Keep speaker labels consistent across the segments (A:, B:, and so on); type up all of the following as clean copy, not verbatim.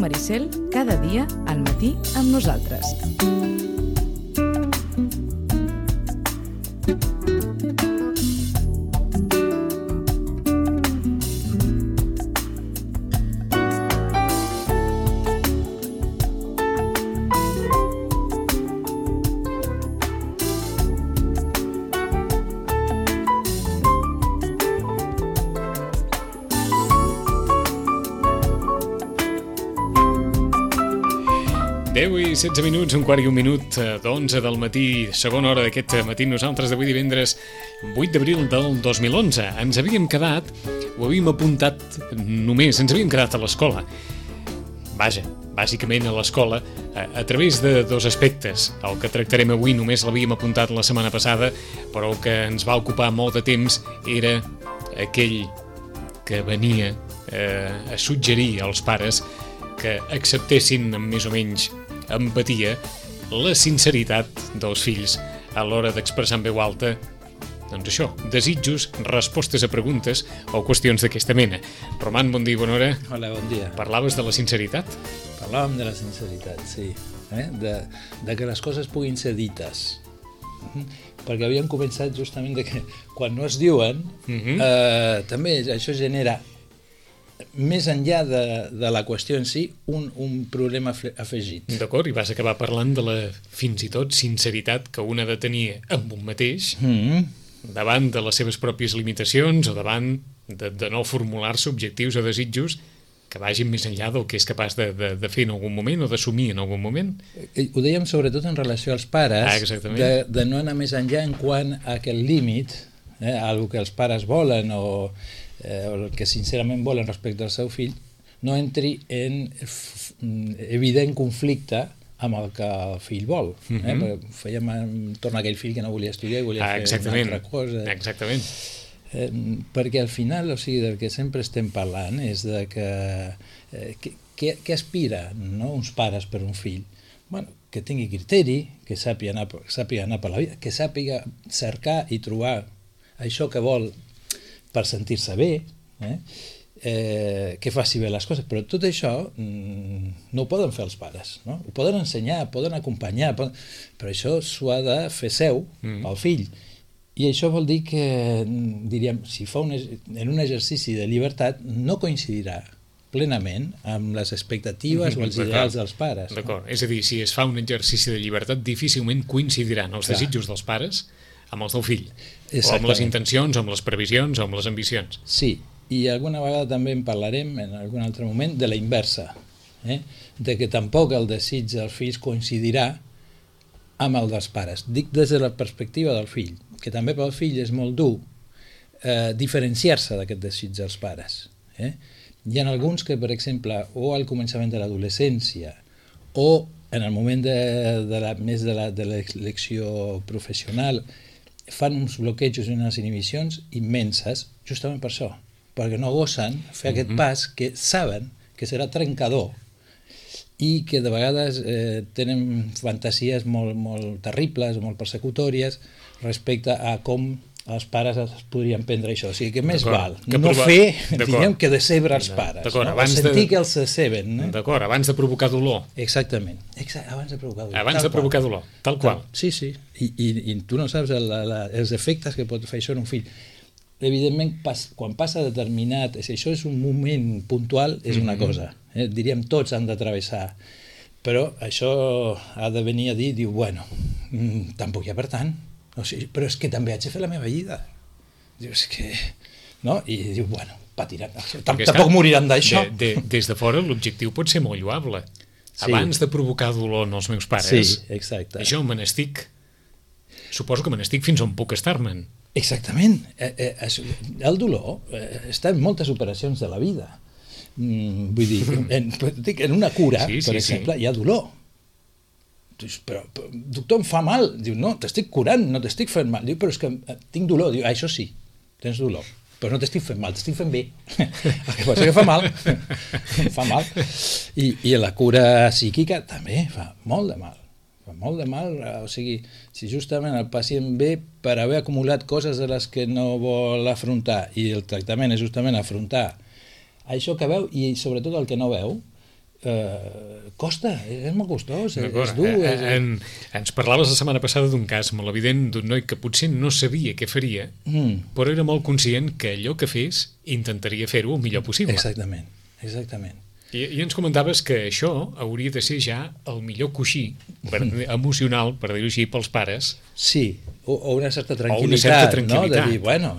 A: Maricel, cada dia al matí amb nosaltres.
B: I 16 minuts, un quart i un minut d'11 del matí, segona hora d'aquest matí. Nosaltres d'avui divendres 8 d'abril del 2011 ens havíem quedat, ho havíem apuntat només, ens havíem quedat a l'escola. Vaja, bàsicament a l'escola, a través de dos aspectes. El que tractarem avui només l'havíem apuntat la setmana passada, però el que ens va ocupar molt de temps era aquell que venia a suggerir als pares que acceptessin amb més o menys empatia la sinceritat dels fills a l'hora d'expressar en veu alta, doncs això, desitjos, respostes a preguntes o qüestions d'aquesta mena. Roman, bon dia, bona hora.
C: Hola, bon dia.
B: Parlaves de la sinceritat?
C: Parlàvem de la sinceritat, sí. De que les coses puguin ser dites. Perquè havíem començat justament de que quan no es diuen, també això genera, més enllà de la qüestió en si, un problema afegit.
B: D'acord, i vas acabar parlant de la, fins i tot, sinceritat que un ha de tenir amb un mateix, davant de les seves pròpies limitacions o davant de no formular-se objectius o desitjos que vagin més enllà del que és capaç de fer en algun moment o d'assumir en algun moment.
C: Ho dèiem sobretot en relació als pares, de no anar més enllà en quant a aquest límit, el que els pares volen o el que sincerament volen respecte al seu fill, no entri en evident conflicte amb el que el fill vol. Fèiem torn a aquell fill que no volia estudiar i volia fer una altra cosa.
B: Exactament.
C: Perquè al final, o sigui, del que sempre estem parlant és de que què aspiren uns pares per un fill? Bueno, que tingui criteri, que sàpiga anar per la vida, que sàpiga cercar i trobar això que vol per sentir-se bé, que faci bé les coses, però tot això no ho poden fer els pares, no? Ho poden ensenyar, poden acompanyar, però això s'ho ha de fer seu, el fill, i això vol dir que, diríem, si fa en un exercici de llibertat, no coincidirà plenament amb les expectatives o els ideals dels pares.
B: D'acord, és a dir, si es fa un exercici de llibertat, difícilment coincidiran els desitjos dels pares amb els del fill, o amb les intencions, o amb les previsions, o amb les ambicions.
C: Sí, i alguna vegada també en parlarem en algun altre moment de la inversa, de que tampoc el desig dels fills coincidirà amb el dels pares. Dic des de la perspectiva del fill, que també pel fill és molt dur diferenciar-se d'aquest desig dels pares. Hi ha alguns que, per exemple, o al començament de l'adolescència o en el moment més de l'elecció professional, fan uns bloquejos i unes inhibicions immenses justament per això, perquè no gosen fer aquest pas que saben que serà trencador i que de vegades tenen fantasies molt terribles o molt persecutòries respecte a com els pares es podrien prendre això. O sigui que més val no fer, diguem, que decebre els pares, sentir que els deceben.
B: D'acord, abans de provocar dolor.
C: Exactament, abans de provocar dolor.
B: Abans de provocar dolor, tal qual.
C: Sí, i tu no saps els efectes que pot fer això en un fill. Evidentment, quan passa determinat, si això és un moment puntual, és una cosa. Diríem, tots han de travessar. Però això ha de venir a dir, bueno, tampoc hi ha per tant. O sigui, però és que també haig de fer la meva vida. Diu, és que... No? I diu, bueno, patiran. Tampoc moriran d'això.
B: Des de fora l'objectiu pot ser molt lloable. Abans de provocar dolor en els meus pares, això me n'estic... Suposo que me n'estic fins on puc estar-me'n.
C: Exactament. El dolor està en moltes operacions de la vida. Vull dir, en una cura, per exemple, hi ha dolor. Però doctor, em fa mal. Diu, no, t'estic curant, no t'estic fent mal. Diu, però és que tinc dolor. Diu, això sí, tens dolor, però no t'estic fent mal, t'estic fent bé. El que passa que fa mal. Fa mal. I la cura psíquica també fa molt de mal. Fa molt de mal, o sigui, si justament el pacient ve per haver acumulat coses de les que no vol afrontar i el tractament és justament afrontar això que veu i sobretot el que no veu, costa, és molt costós, és dur.
B: Ens parlaves la setmana passada d'un cas molt evident d'un noi que potser no sabia què faria, però era molt conscient que allò que fes intentaria fer-ho el millor possible.
C: Exactament.
B: I ens comentaves que això hauria de ser ja el millor coixí emocional, per dir-ho així, pels pares.
C: Sí, o una certa tranquil·litat, no? De dir, bueno,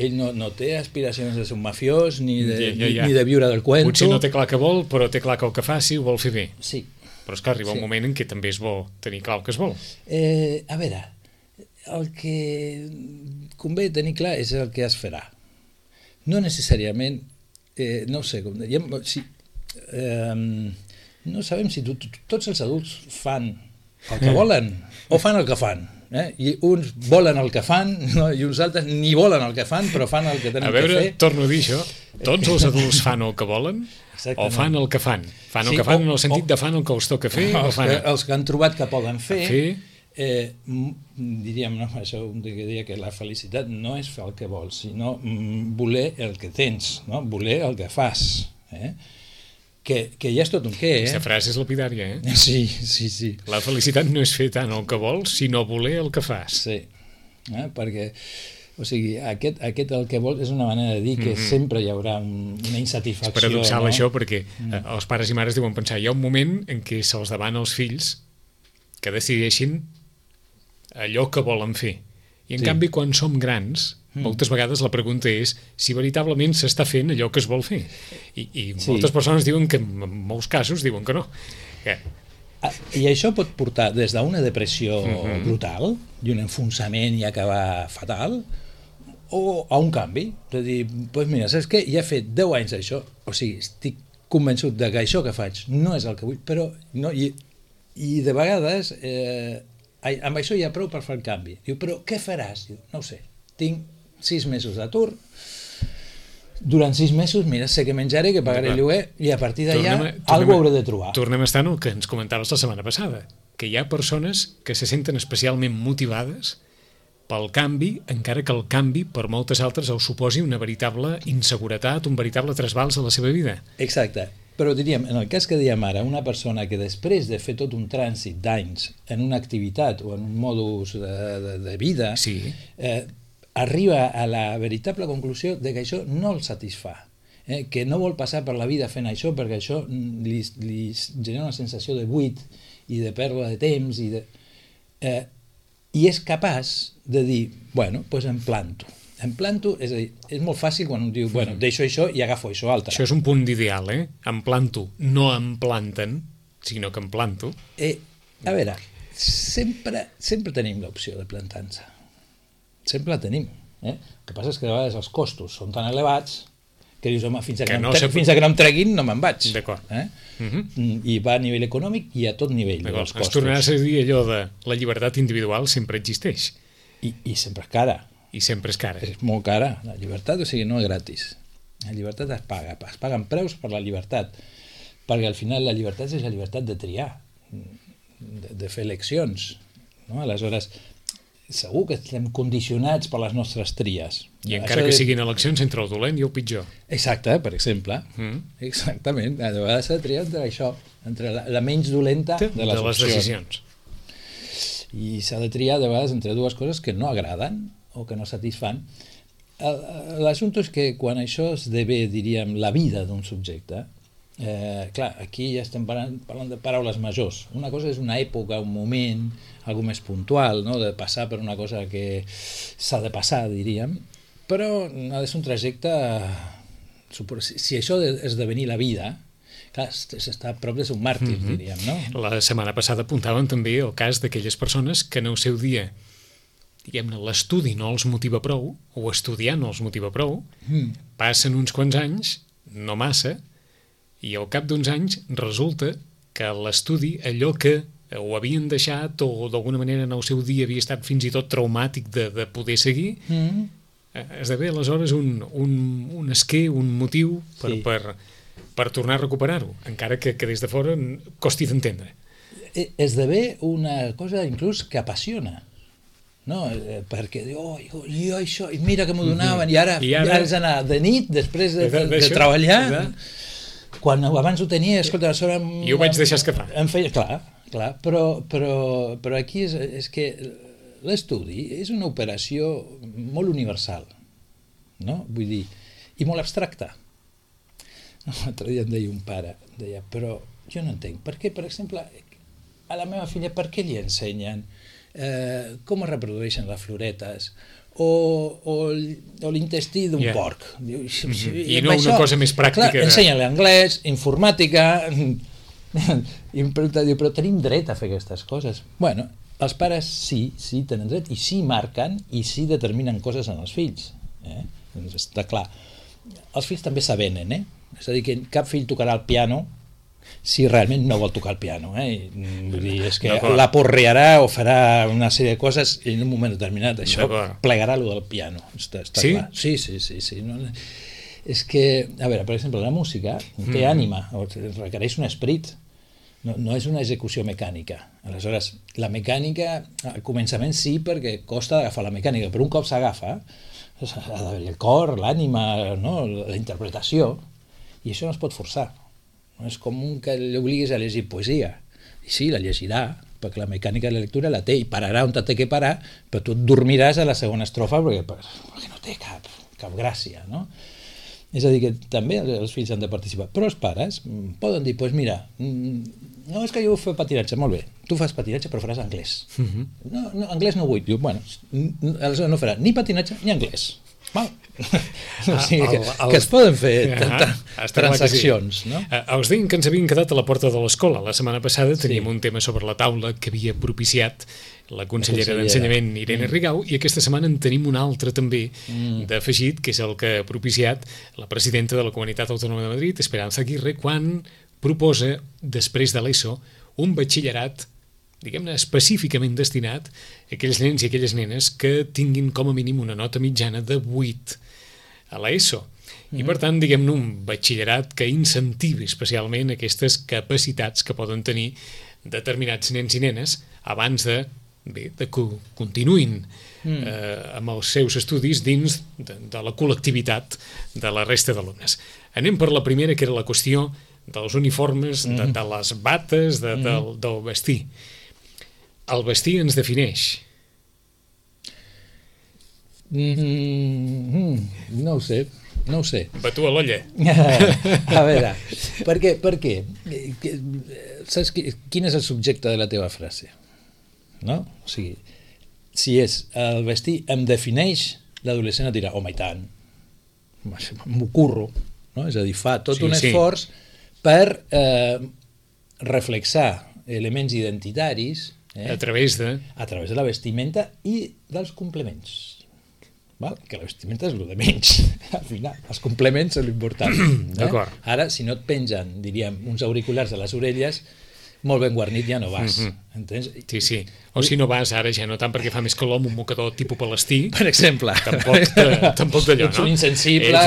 C: ell no té aspiracions de ser un mafiós ni de viure del cuento.
B: Potser no té clar què vol, però té clar que el que faci ho vol fer bé.
C: Sí.
B: Però és que arriba un moment en què també és bo tenir clar el que es vol.
C: A veure, el que convé tenir clar és el que es farà. No necessàriament, no sé com dèiem, no sabem si tots els adults fan el que volen o fan el que fan. I uns volen el que fan, no? I uns altres ni volen el que fan, però fan el que tenen que fer.
B: A veure, torno a dir això, tots els adults fan el que volen o fan el que fan? Fan el que fan en el sentit de fan el que els toca fer?
C: Els que han trobat que poden fer, diríem, no? Això diria que la felicitat no és fer el que vols, sinó voler el que tens, no? Voler el que fas, que ja és tot un què,
B: Aquesta frase és lapidària,
C: Sí.
B: La felicitat no és fer tant el que vols, sinó voler el que fas.
C: Sí, perquè, o sigui, aquest el que vols és una manera de dir que sempre hi haurà una insatisfacció.
B: És paradoxal, això, perquè els pares i mares deuen pensar, hi ha un moment en què se'ls demana als fills que decideixin allò que volen fer. I en canvi, quan som grans, moltes vegades la pregunta és si veritablement s'està fent allò que es vol fer. I moltes persones diuen que en molts casos diuen que no.
C: I això pot portar des d'una depressió brutal i un enfonsament i acabar fatal, o a un canvi, de dir, doncs mira, saps què? Ja he fet 10 anys d'això, o sigui, estic convençut de que això que faig no és el que vull, però no, i de vegades amb això hi ha prou per fer el canvi. Diu, però què faràs? Diu, no ho sé, tinc 6 mesos d'atur, durant 6 mesos, mira, sé que menjaré, que pagaré el lloguer, i a partir d'allà alguna hauré de trobar.
B: Tornem a estar en el que ens comentaves la setmana passada, que hi ha persones que se senten especialment motivades pel canvi, encara que el canvi per moltes altres els suposi una veritable inseguretat, un veritable trasbals a la seva vida.
C: Exacte. Però diríem, en el cas que dèiem ara, una persona que després de fer tot un trànsit d'anys en una activitat o en un modus de vida, arriba a la veritable conclusió de que això no el satisfà, que no vol passar per la vida fent això perquè això li genera una sensació de buit i de pèrdua de temps i és capaç de dir, bueno, doncs em planto, és a dir, és molt fàcil quan un diu, bueno, deixo això i agafo això altre.
B: Això és un punt d'ideal, em planto, no em planten, sinó que em planto.
C: A veure, sempre tenim l'opció de plantar-se, sempre la tenim. El que passa és que a vegades els costos són tan elevats que dius, home, fins que no em treguin no me'n vaig.
B: D'acord.
C: I va a nivell econòmic i a tot nivell dels costos.
B: Es tornaràs a dir allò de la llibertat individual sempre existeix.
C: I sempre és cara.
B: I sempre és cara.
C: És molt cara. La llibertat, o sigui, no és gratis. La llibertat es paguen preus per la llibertat, perquè al final la llibertat és la llibertat de triar, de fer eleccions. Aleshores, segur que estem condicionats per les nostres tries.
B: I encara que siguin eleccions entre el dolent i el pitjor.
C: Exacte, per exemple. Exactament. A vegades s'ha de triar entre això, entre la menys dolenta de les
B: decisions.
C: I s'ha de triar de vegades entre dues coses que no agraden o que no satisfan. L'assumpte és que quan això esdevé, diríem, la vida d'un subjecte, clar, aquí ja estem parlant de paraules majors. Una cosa és una època, un moment, algo més puntual, no? De passar per una cosa que s'ha de passar, diríem, però ha de ser un trajecte... Si això esdevenir la vida, clar, s'està a prop de ser un màrtir, diríem, no?
B: La setmana passada apuntaven també el cas d'aquelles persones que en el seu dia, diguem-ne, l'estudi no els motiva prou, o estudiar no els motiva prou, passen uns quants anys, no massa, i al cap d'uns anys resulta que l'estudi, allò que ho havien deixat o d'alguna manera en el seu dia havia estat fins i tot traumàtic de poder seguir, esdevé aleshores un esquer, un motiu per tornar a recuperar-ho, encara que des de fora costi d'entendre.
C: Esdevé una cosa inclús que apassiona, no? Perquè diu, jo això, i mira que m'ho donaven, i ara has d'anar de nit, després de treballar, quan abans ho tenia, escolta, a sobre...
B: I ho vaig deixar escapar.
C: Em feia, clar, però aquí és que l'estudi és una operació molt universal, no? Vull dir, i molt abstracta. L'altre dia em deia un pare, però jo no entenc, per què, per exemple, a la meva filla, per què li ensenyen com es reprodueixen les floretes o l'intestí d'un porc?
B: I no una cosa més pràctica.
C: Clar, ensenya-li anglès, informàtica, i em pregunta, però tenim dret a fer aquestes coses? Bueno, els pares sí tenen dret, i sí marquen, i sí determinen coses en els fills. Doncs està clar. Els fills també s'avenen, és a dir, que cap fill tocarà el piano si realment no vol tocar el piano. Vull dir, és que la porrearà o farà una sèrie de coses i en un moment determinat això plegarà allò del piano. Està clar. Sí. No, és que, a veure, per exemple, la música té ànima, requereix un esperit, no és una execució mecànica. Aleshores, la mecànica, al començament sí, perquè costa d'agafar la mecànica, però un cop s'agafa, ha d'haver el cor, l'ànima, la interpretació, i això no es pot forçar. No és com que l'obliguis a llegir poesia. I sí, la llegirà, perquè la mecànica de la lectura la té i pararà on té que parar, però tu et dormiràs a la segona estrofa perquè no té cap gràcia, no? És a dir, que també els fills han de participar. Però els pares poden dir, doncs mira, no és que jo fer patinatge, molt bé, tu fas patinatge però faràs anglès. No, anglès no vull. Diu, bueno, aleshores no farà ni patinatge ni anglès. Val? O sigui, que es poden fer transaccions, no?
B: Els deien que ens havien quedat a la porta de l'escola. La setmana passada teníem un tema sobre la taula que havia propiciat la consellera d'Ensenyament, Irene Rigau, i aquesta setmana en tenim un altre també d'afegit, que és el que ha propiciat la presidenta de la Comunitat Autònoma de Madrid, Esperanza Aguirre, quan proposa, després de l'ESO, un batxillerat, diguem-ne, específicament destinat a aquells nens i aquelles nenes que tinguin com a mínim una nota mitjana de 8 a l'ESO. I per tant, diguem-ne, un batxillerat que incentivi especialment aquestes capacitats que poden tenir determinats nens i nenes abans de que continuïn amb els seus estudis dins de la col·lectivitat de la resta d'alumnes. Anem per la primera, que era la qüestió dels uniformes, de les bates, del vestir. El vestir ens defineix.
C: No ho sé.
B: Batu a l'olla.
C: A veure, per què? Saps quin és el subjecte de la teva frase? No? O sigui, si és el vestir em defineix, l'adolescent et dirà, home, i tant, m'ho curro, no? És a dir, fa tot un esforç per reflexar elements identitaris
B: a través de
C: la vestimenta i dels complements. Val? Que la vestimenta és el de menys. Al final, els complements són l'important.
B: D'acord.
C: Ara, si no et pengen, diríem, uns auriculars a les orelles, molt ben guarnit ja no vas. Entens?
B: Sí. O si no vas ara ja no tant perquè fa més calor amb un mocador tipus palestí.
C: Per exemple.
B: Tampoc d'allò, no?
C: Ets un insensible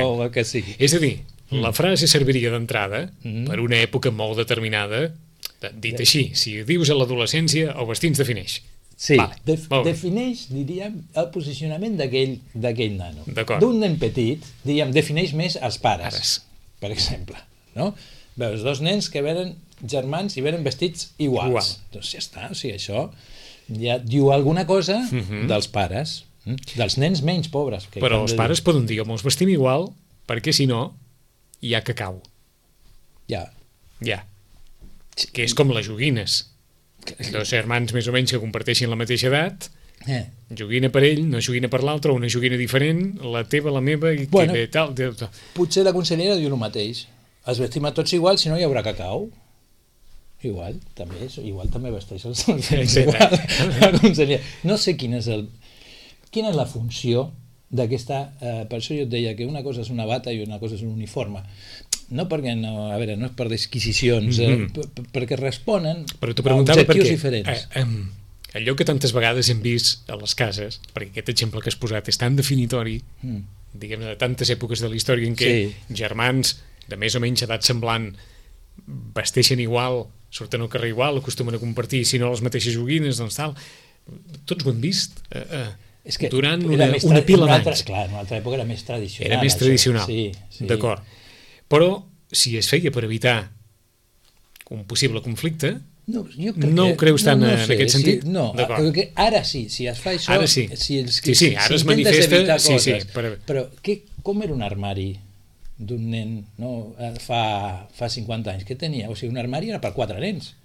C: o el que sigui.
B: És a dir, la frase serviria d'entrada per una època molt determinada. Dit així, si dius a l'adolescència, el vestir ens defineix.
C: Sí, defineix, diríem, el posicionament d'aquell nano. D'un nen petit, diríem, defineix més els pares, per exemple. Veus dos nens que venen germans i venen vestits iguals. Doncs ja està, o sigui, això ja diu alguna cosa dels pares, dels nens menys pobres.
B: Però els pares poden dir, home, ens vestim igual, perquè si no, hi ha cacau.
C: Ja.
B: Que és com les joguines. Dos germans més o menys que comparteixin la mateixa edat, joguina per ell, no joguina per l'altre, una joguina diferent, la teva, la meva, i
C: bueno,
B: que tal.
C: Potser la consellera diu el mateix. Es vestim a tots igual, si no hi haurà cacau. Igual també vesteix els igual. La consellera. No sé quina és la funció d'aquesta... Per això jo et deia que una cosa és una bata i una cosa és un uniforme. No perquè no és per disquisicions, perquè responen a objectius diferents.
B: Allò que tantes vegades hem vist a les cases, perquè aquest exemple que has posat és tan definitori, diguem-ne, de tantes èpoques de la història en què germans de més o menys edat semblant vesteixen igual, surten al carrer igual, acostumen a compartir, si no les mateixes joguines, doncs tal. Tots ho hem vist durant una pila d'anys.
C: Clar, en una altra època era més tradicional.
B: Era més tradicional, d'acord. Però si es feia per evitar un possible conflicte,
C: no
B: ho creus tant en aquest sentit?
C: No, perquè ara sí, si es fa això,
B: ara sí.
C: Si
B: Ara es manifesta,
C: coses, però com era un armari d'un nen, no, fa 50 anys? Què tenia? O sigui, un armari era per 4 nens,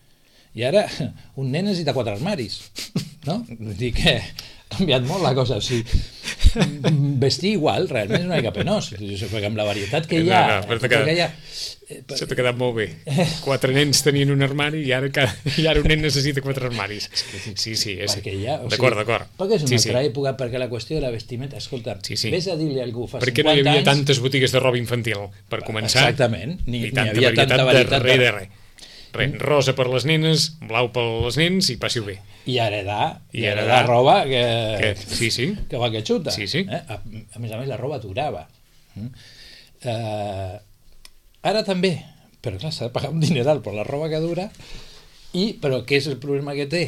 C: i ara un nen necessita 4 armaris, no? Vull dir que ha canviat molt la cosa. O sigui, vestir igual realment és una mica penós, perquè amb la varietat que hi ha...
B: Això t'ha quedat molt bé. 4 nens tenien un armari i ara un nen necessita 4 armaris. Sí. D'acord.
C: Perquè és una altra època, perquè la qüestió de la vestimenta... Escolta, vés a dir-li a algú fa 50 anys...
B: Perquè no hi havia tantes botigues de roba infantil, per començar.
C: Exactament, ni
B: tanta
C: havia tanta varietat
B: de res. Rosa per les nenes, blau per les nens i passi-ho bé.
C: I heredar roba que va que xuta. A més, la roba durava. Ara també, però clar, s'ha de pagar un dineral per la roba que dura, però què és el problema que té?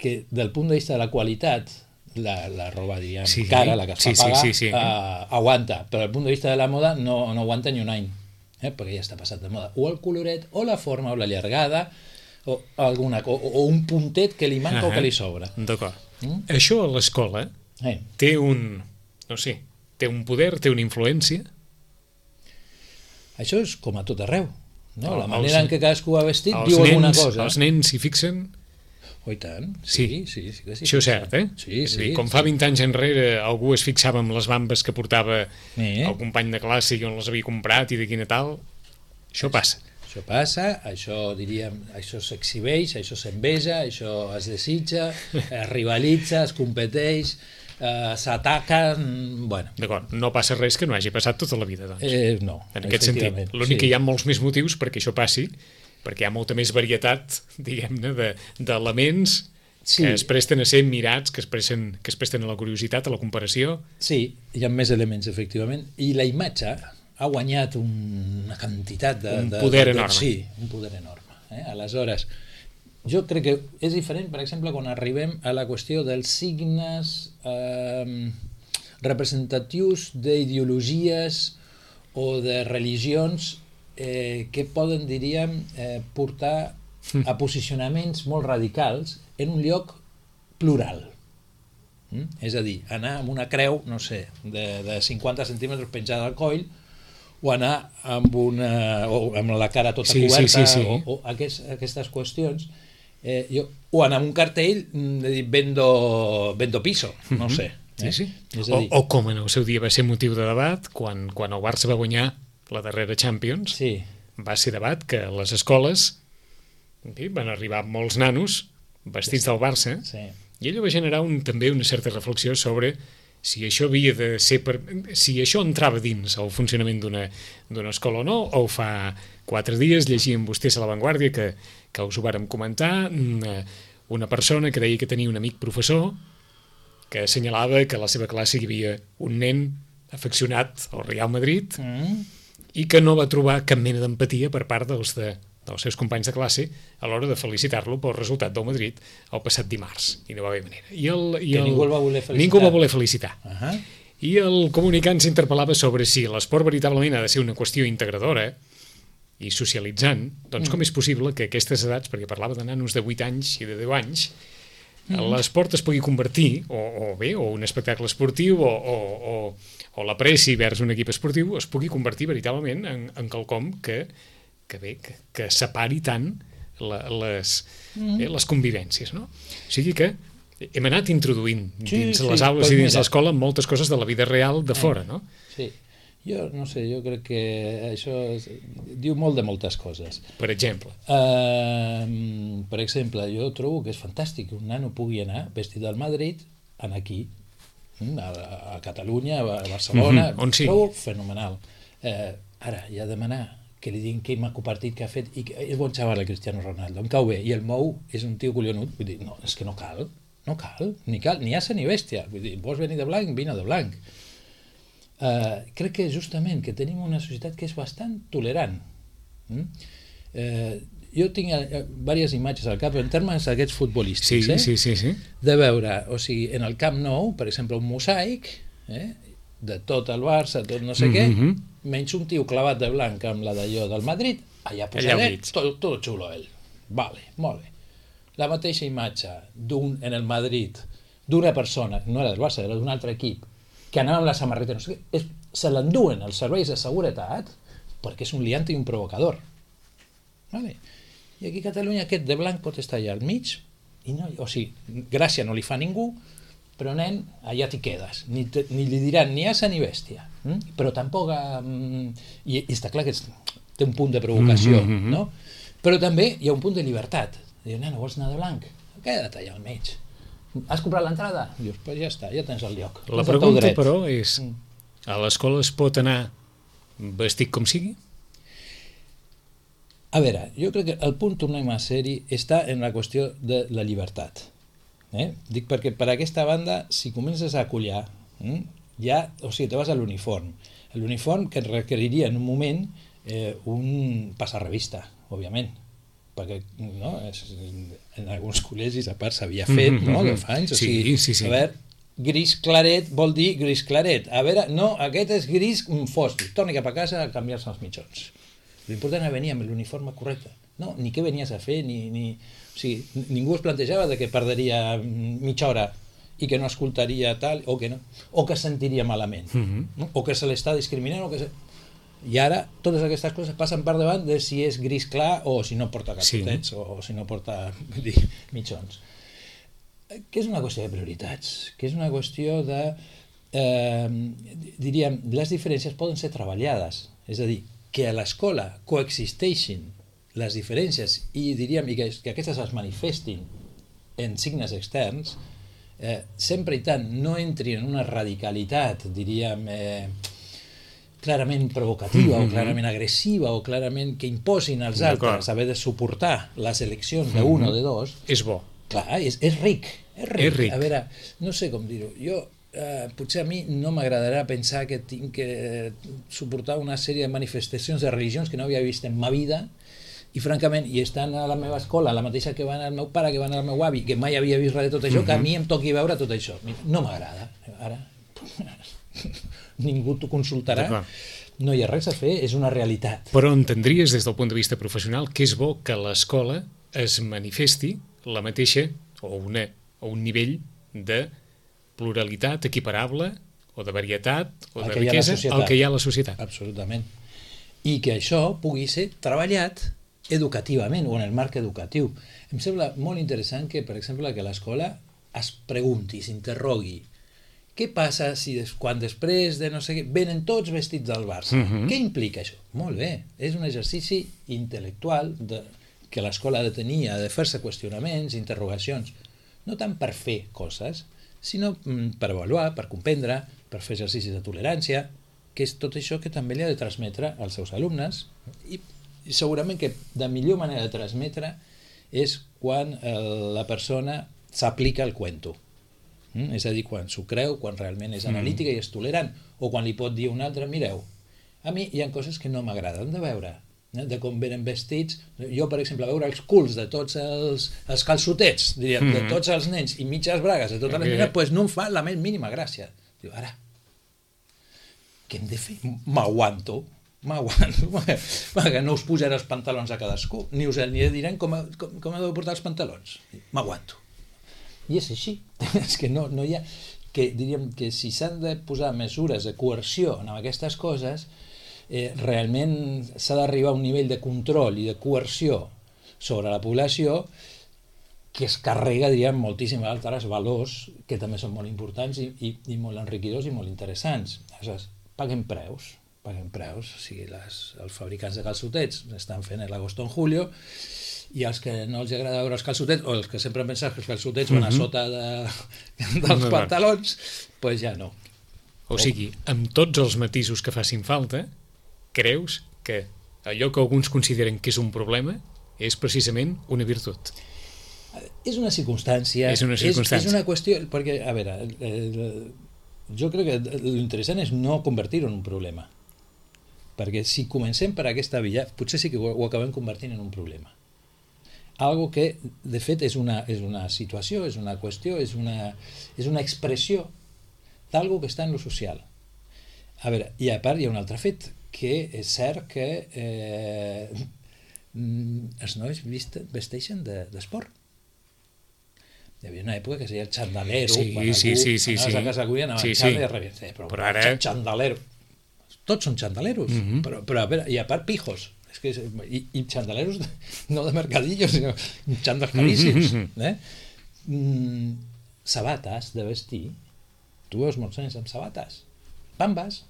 C: Que del punt de vista de la qualitat, la roba, diríem, cara, la que es fa pagar, aguanta, però del punt de vista de la moda no aguanta ni un any, perquè ja està passat de moda. O el coloret, o la forma, o la llargada, o un puntet que li manca o que li sobra.
B: D'acord. Això a l'escola té un poder, té una influència?
C: Això és com a tot arreu, no? La manera en què cadascú va vestit diu alguna cosa.
B: Els nens s'hi fixen?
C: Oh, i tant, sí.
B: Això és cert,
C: Sí.
B: Com fa 20 anys enrere algú es fixava en les bambes que portava el company de classe i on les havia comprat i de quina tal, això passa.
C: Això passa, això s'exhibeix, això s'enveja, això es desitja, es rivalitza, es competeix, s'ataquen, bueno.
B: D'acord, no passa res que no hagi passat tota la vida, doncs.
C: No,
B: en aquest sentit. L'únic que hi ha molts més motius perquè això passi, perquè hi ha molta més varietat, diguem-ne, d'elements que es presten a ser mirats, que es presten a la curiositat, a la comparació.
C: Sí, hi ha més elements, efectivament, i la imatge ha guanyat una quantitat
B: un poder enorme.
C: Sí, un poder enorme. Aleshores, jo crec que és diferent, per exemple, quan arribem a la qüestió dels signes representatius d'ideologies o de religions que poden, diríem, portar a posicionaments molt radicals en un lloc plural. És a dir, anar amb una creu, no sé, de 50 centímetres penjada al coll, o anar amb la cara tota coberta, o aquestes qüestions, o anar amb un cartell de dir vendo piso, no sé.
B: O com en el seu dia va ser motiu de debat, quan el Barça va guanyar la darrera Champions, va ser debat que a les escoles van arribar molts nanos vestits del Barça, i allò va generar també una certa reflexió sobre si això havia de ser si això entrava dins el funcionament d'una escola o no, o fa 4 dies llegíem vostès a La Vanguardia que us ho vàrem comentar, una persona que deia que tenia un amic professor que assenyalava que a la seva classe hi havia un nen afeccionat al Real Madrid i que no va trobar cap mena d'empatia per part dels seus companys de classe a l'hora de felicitar-lo pel resultat del Madrid el passat dimarts, i no va haver manera.
C: Ningú el va voler felicitar.
B: Ningú el va voler felicitar. I el comunicant s'interpel·lava sobre si l'esport veritablement ha de ser una qüestió integradora i socialitzant, doncs com és possible que a aquestes edats, perquè parlava de nanos de 8 anys i de 10 anys, l'esport es pugui convertir, o un espectacle esportiu, o l'apreci vers un equip esportiu, es pugui convertir veritablement en quelcom que separi tant les convivències, no? O sigui que hem anat introduint dins les aules i dins l'escola moltes coses de la vida real de fora, no?
C: Sí. Jo no sé, jo crec que això diu molt de moltes coses.
B: Per exemple?
C: Jo trobo que és fantàstic que un nano pugui anar vestit del Madrid, anar aquí, a Catalunya, a Barcelona, trobo fenomenal. Ara, hi ha de demanar que li diguin quin maco partit que ha fet, i és bon xaval el Cristiano Ronaldo, em cau bé, i el Mou és un tio collonut, vull dir, no, és que no cal, ni asa ni bèstia, vull dir, vols venir de blanc, vine de blanc. Crec que justament que tenim una societat que és bastant tolerant. Jo tinc diverses imatges al cap en termes d'aquests futbolístics, de veure, o sigui, en el Camp Nou, per exemple, un mosaic de tot el Barça, tot no sé què, menys un tio clavat de blanc amb la d'allò del Madrid, allà posadet, tot xulo ell. Vale, molt bé. La mateixa imatge en el Madrid d'una persona, no era del Barça, era d'un altre equip, que anava amb la samarreta, no sé què, se l'enduen els serveis de seguretat perquè és un liant i un provocador. Vale. I aquí a Catalunya aquest de blanc pot estar allà al mig, i no, o sigui, gràcia no li fa ningú, però nen, allà t'hi quedes. Ni li diran ni asa ni bèstia. Però tampoc... I està clar que té un punt de provocació, no? Però també hi ha un punt de llibertat. Diu, nano, vols anar de blanc? Queda't allà al mig. Has comprat l'entrada? Dius, pues ja està, ja tens el lloc.
B: La pregunta, però, és a l'escola es pot anar vestit com sigui?
C: A veure, jo crec que el punt, tornem a ser-hi, està en la qüestió de la llibertat. Dic perquè per aquesta banda, si comences a acollar, ja, o sigui, te vas a l'uniform. L'uniform que requeriria en un moment un passar-revista, òbviament, perquè no, en alguns col·legis a part s'havia fet, no, de fa anys, o sigui,
B: sí.
C: A veure, gris claret vol dir gris claret, a veure, no, aquest és gris fosc, torni cap a casa a canviar-se els mitjons. L'important era venir amb l'uniforme correcte, no, ni què venies a fer, o sigui, ningú es plantejava de que perderia mitja hora i que no escoltaria tal, o que no, o que sentiria malament, no? O que se l'està discriminant, o que i ara totes aquestes coses passen per davant de si és gris clar o si no porta calçotets, o si no porta mitjons. Que és una qüestió de prioritats, que és una qüestió de, diríem, les diferències poden ser treballades, és a dir, que a l'escola coexisteixin les diferències i diríem que aquestes es manifestin en signes externs, sempre i tant no entri en una radicalitat, diríem, clarament provocativa o clarament agressiva o clarament que imposin als altres haver de suportar les eleccions d'un o de dos.
B: És bo.
C: Clar, és ric. A veure, no sé com dir-ho. Jo, potser a mi no m'agradarà pensar que tinc que suportar una sèrie de manifestacions de religions que no havia vist en ma vida i francament, i estan a la meva escola, la mateixa que van al meu pare, que van al meu avi, que mai havia vist res de tot això, que a mi em toqui veure tot això. No m'agrada. Ara... ningú t'ho consultarà, no hi ha res a fer, és una realitat.
B: Però entendries des del punt de vista professional que és bo que l'escola es manifesti la mateixa o un nivell de pluralitat equiparable o de varietat o de riquesa al que hi ha a la societat.
C: Absolutament. I que això pugui ser treballat educativament o en el marc educatiu. Em sembla molt interessant que, per exemple, que l'escola es pregunti, s'interrogui què passa si quan després de no sé què venen tots vestits del Barça? Què implica això? Molt bé, és un exercici intel·lectual que l'escola ha de tenir, ha de fer-se qüestionaments, interrogacions, no tant per fer coses, sinó per avaluar, per comprendre, per fer exercicis de tolerància, que és tot això que també li ha de transmetre als seus alumnes i segurament que la millor manera de transmetre és quan la persona s'aplica el cuento. És a dir, quan s'ho creu, quan realment és analítica i és tolerant, o quan li pot dir un altre, mireu, a mi hi ha coses que no m'agraden de veure, de com venen vestits, jo per exemple veure els culs de tots els calçotets, diríem, de tots els nens i mitges bragues de totes les nenes, doncs no em fa la més mínima gràcia. Diu, ara, què hem de fer? M'aguanto, que no us pujaré els pantalons a cadascú, ni us diran com heu de portar els pantalons, m'aguanto. I és així, és que no hi ha... que diríem que si s'han de posar mesures de coerció en aquestes coses, realment s'ha d'arribar a un nivell de control i de coerció sobre la població que es carrega, diríem, moltíssims altres valors que també són molt importants i molt enriquidors i molt interessants. Aleshores, paguem preus, o sigui, els fabricants de calçotets estan fent l'agosto en julio, i els que no els agrada veure els calçotets, o els que sempre pensen que els calçotets van a sota dels pantalons, doncs ja no.
B: O sigui, amb tots els matisos que facin falta, creus que allò que alguns consideren que és un problema és precisament una virtut?
C: És una circumstància. És una qüestió, perquè, a veure, jo crec que l'interessant és no convertir-ho en un problema. Perquè si comencem per aquesta via, potser sí que ho acabem convertint en un problema. Algo que, de fet, és una situació, és una qüestió, és una expressió d'algo que està en lo social. A veure, i a part hi ha un altre fet, que és cert que els nois vesteixen d'esport. Hi havia una època que es deia el xandalero,
B: sí.
C: anaves a casa cuina, anaven xandalero i rebien, però ara... xandalero. Tots són xandaleros, però a veure, i a part pijos, i xandaleros no de mercadillos, sinó xandals caríssims. Sabates de vestir, tu veus molts nens amb sabates, bambes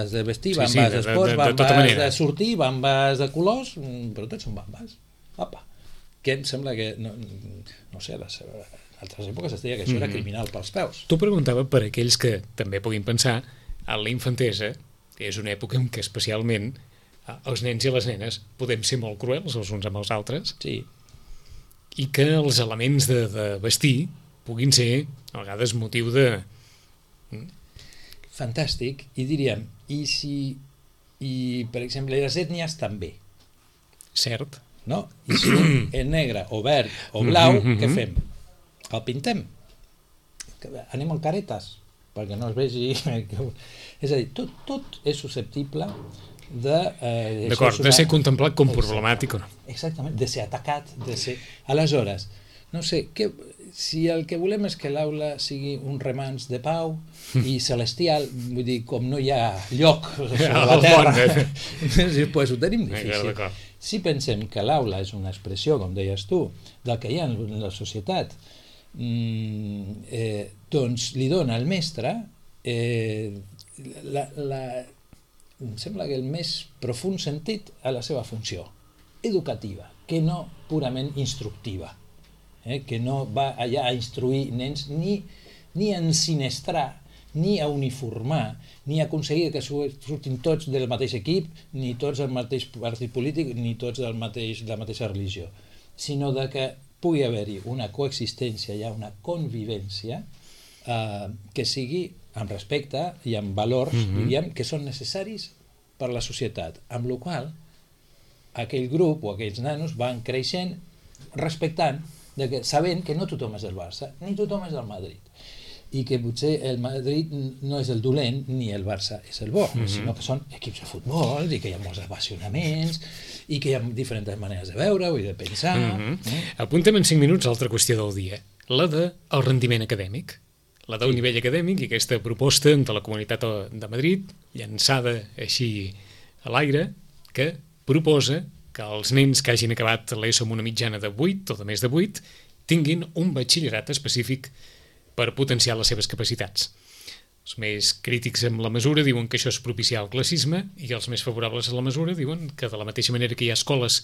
C: de vestir, bambes d'esports, bambes de sortir, bambes de colors, però tots són bambes. Apa, que em sembla que, no sé, a altres èpoques es deia que això era criminal pels peus.
B: Tu preguntava per aquells que també puguin pensar en la infantesa, és una època en què especialment els nens i les nenes podem ser molt cruels els uns amb els altres,
C: sí,
B: i que els elements de vestir puguin ser a vegades motiu de...
C: Fantàstic, i diríem, i per exemple les ètnies també,
B: cert,
C: no? I si un és negre o verd o blau, què fem? El pintem, anem amb caretes perquè no es vegi... És a dir, tot és susceptible de...
B: D'acord, de ser contemplat com problemàtic o no.
C: Exactament, de ser atacat, de ser... Aleshores, no sé, si el que volem és que l'aula sigui un remanç de pau i celestial, vull dir, com no hi ha lloc sobre la terra, pues ho tenim difícil. Si pensem que l'aula és una expressió, com deies tu, del que hi ha en la societat, doncs li dona al mestre em sembla que el més profund sentit a la seva funció educativa, que no purament instructiva, que no va allà a instruir nens ni a ensinestrar, ni a uniformar, ni a aconseguir que surtin tots del mateix equip, ni tots del mateix partit polític, ni tots de la mateixa religió, sinó de que pugui haver-hi una coexistència, hi ha una convivència que sigui amb respecte i amb valors, diríem, que són necessaris per a la societat, amb la qual aquell grup o aquells nanos van creixent respectant, sabent que no tothom és del Barça, ni tothom és del Madrid, i que potser el Madrid no és el dolent ni el Barça és el bo, sinó que són equips de futbol i que hi ha molts apassionaments i que hi ha diferents maneres de veure-ho i de pensar.
B: Apuntem en 5 minuts l'altra qüestió del dia, la del rendiment acadèmic, la del nivell acadèmic i aquesta proposta de la Comunitat de Madrid, llançada així a l'aire, que proposa que els nens que hagin acabat l'ESO amb una mitjana de 8 o de més de 8 tinguin un batxillerat específic per potenciar les seves capacitats. Els més crítics amb la mesura diuen que això és propiciar el classisme i els més favorables a la mesura diuen que de la mateixa manera que hi ha escoles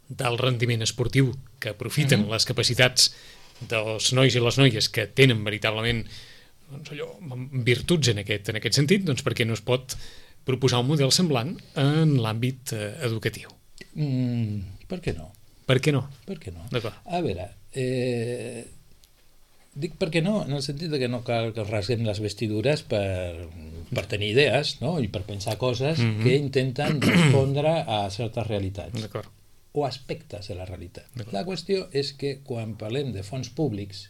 B: d'alt rendiment esportiu que aprofiten les capacitats dels nois i les noies que tenen veritablement virtuts en aquest sentit, doncs per què no es pot proposar un model semblant en l'àmbit educatiu?
C: Per què no?
B: Per què no?
C: Per què no?
B: D'acord.
C: A veure, dic per què no, en el sentit que no cal que rasguem les vestidures per tenir idees, no? I per pensar coses que intenten respondre a certes realitats.
B: D'acord.
C: O aspectes de la realitat. La qüestió és que quan parlem de fons públics,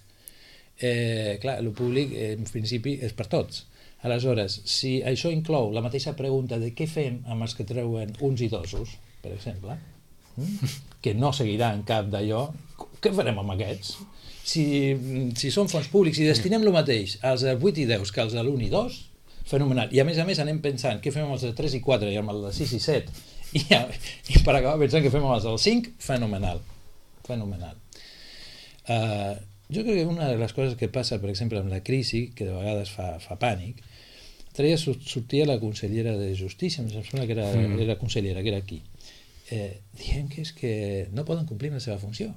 C: clar, el públic en principi és per tots. Aleshores, si això inclou la mateixa pregunta de què fem amb els que treuen uns i dosos, per exemple, que no seguiran cap d'allò, què farem amb aquests? Si són fons públics i destinem el mateix als 8 i 10 que als de l'1 i 2, fenomenal. I a més anem pensant què fem amb els de 3 i 4 i amb els de 6 i 7, i per acabar pensant que fem amb els del 5, fenomenal. Jo crec que una de les coses que passa, per exemple, amb la crisi, que de vegades fa pànic, l'altre dia sortia la consellera de Justícia, em sembla que era consellera, que era aquí, dient que és que no poden complir la seva funció.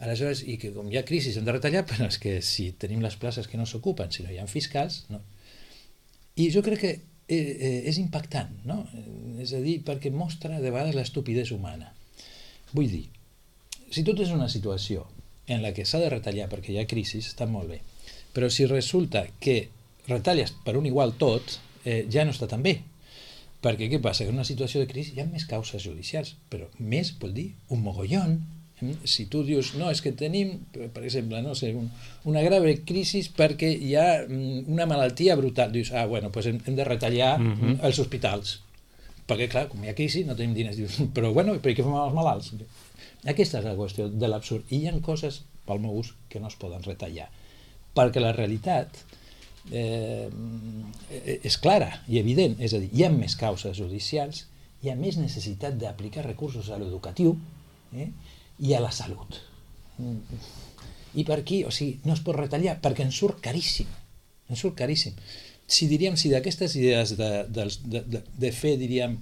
C: Aleshores, i que com hi ha crisi hem de retallar, però és que si tenim les places que no s'ocupen, si no hi ha fiscals, no. I jo crec que és impactant, no? És a dir, perquè mostra de vegades l'estupidesa humana. Vull dir, si tot és una situació en la que s'ha de retallar perquè hi ha crisi, està molt bé, però si resulta que retalles per un igual tot, ja no està tan bé, perquè què passa? Que en una situació de crisi hi ha més causes judicials, però més vol dir un mogollon, Si tu dius, no, és que tenim, per exemple, no sé, una grave crisi perquè hi ha una malaltia brutal. Dius, bueno, doncs hem de retallar els hospitals. Perquè, clar, com hi ha crisi, no tenim diners. Dius, però, bueno, per què fem els malalts? Aquesta és la qüestió de l'absurd. I hi ha coses, pel meu gust, que no es poden retallar. Perquè la realitat és clara i evident. És a dir, hi ha més causes judicials, hi ha més necessitat d'aplicar recursos a l'educatiu i a la salut. I per aquí, o sigui, no es pot retallar perquè ens surt caríssim. Ens surt caríssim. Si d'aquestes idees de fer, diríem,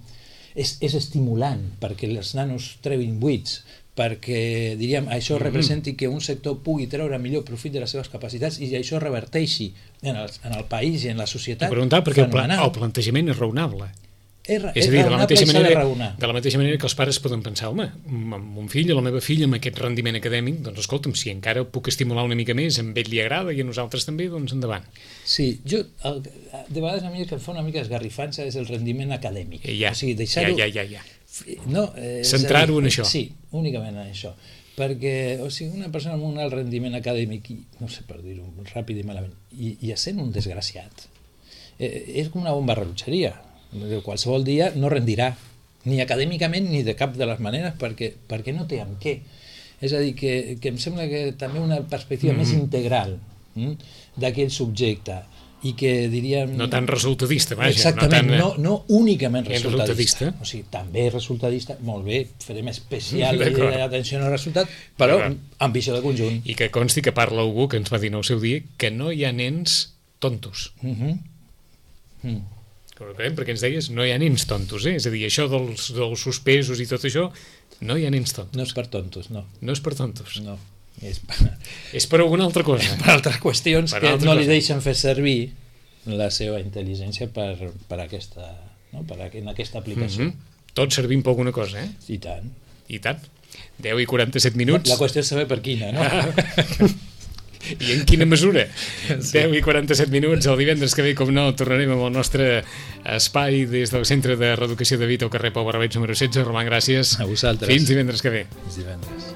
C: és estimulant perquè els nanos treguin buits, perquè, diríem, això representi que un sector pugui treure millor profit de les seves capacitats i això reverteixi en el país i en la societat.
B: T'ho preguntava perquè el plantejament és raonable. És a dir, de la mateixa manera que els pares poden pensar, home, mon fill o la meva filla amb aquest rendiment acadèmic, doncs escolta'm, si encara puc estimular una mica més, a ell li agrada i a nosaltres també, doncs endavant.
C: Sí, de vegades a mi el que em fa una mica esgarrifança és el rendiment acadèmic.
B: Ja.
C: No,
B: centrar-ho en això.
C: Sí, únicament en això. Perquè, o sigui, una persona amb un alt rendiment acadèmic, no sé per dir-ho ràpid i malament, i essent un desgraciat, és com una bomba rellotgeria. Qualsevol dia no rendirà, ni acadèmicament ni de cap de les maneres, perquè no té amb què. És a dir, que em sembla que també una perspectiva més integral d'aquell subjecte, i que diríem...
B: No tan resultadista, vaja.
C: Exactament, no únicament resultadista. O sigui, també resultadista, molt bé, farem especial atenció al resultat, però amb visió de conjunt.
B: I que consti que parla algú que ens va dir en el seu dia que no hi ha nens tontos. Perquè ens deies, no hi ha nens tontos, és a dir, això dels suspesos i tot això, no hi ha nens tontos.
C: No és per tontos, no.
B: No és per tontos.
C: No.
B: És per alguna altra cosa.
C: Per altres qüestions que no li deixen fer servir la seva intel·ligència per aquesta, no? En aquesta aplicació.
B: Tots servim per alguna cosa, eh?
C: I tant.
B: I tant. 10 i 47 minuts.
C: La qüestió és saber per quina, no?
B: I en quina mesura? 10 i 47 minuts. El divendres que ve, com no, tornarem amb el nostre espai des del Centre de Reeducació de Vita al carrer Pau Barrabets número 16. Roman, gràcies.
C: A vosaltres.
B: Fins divendres que ve.
C: Fins divendres.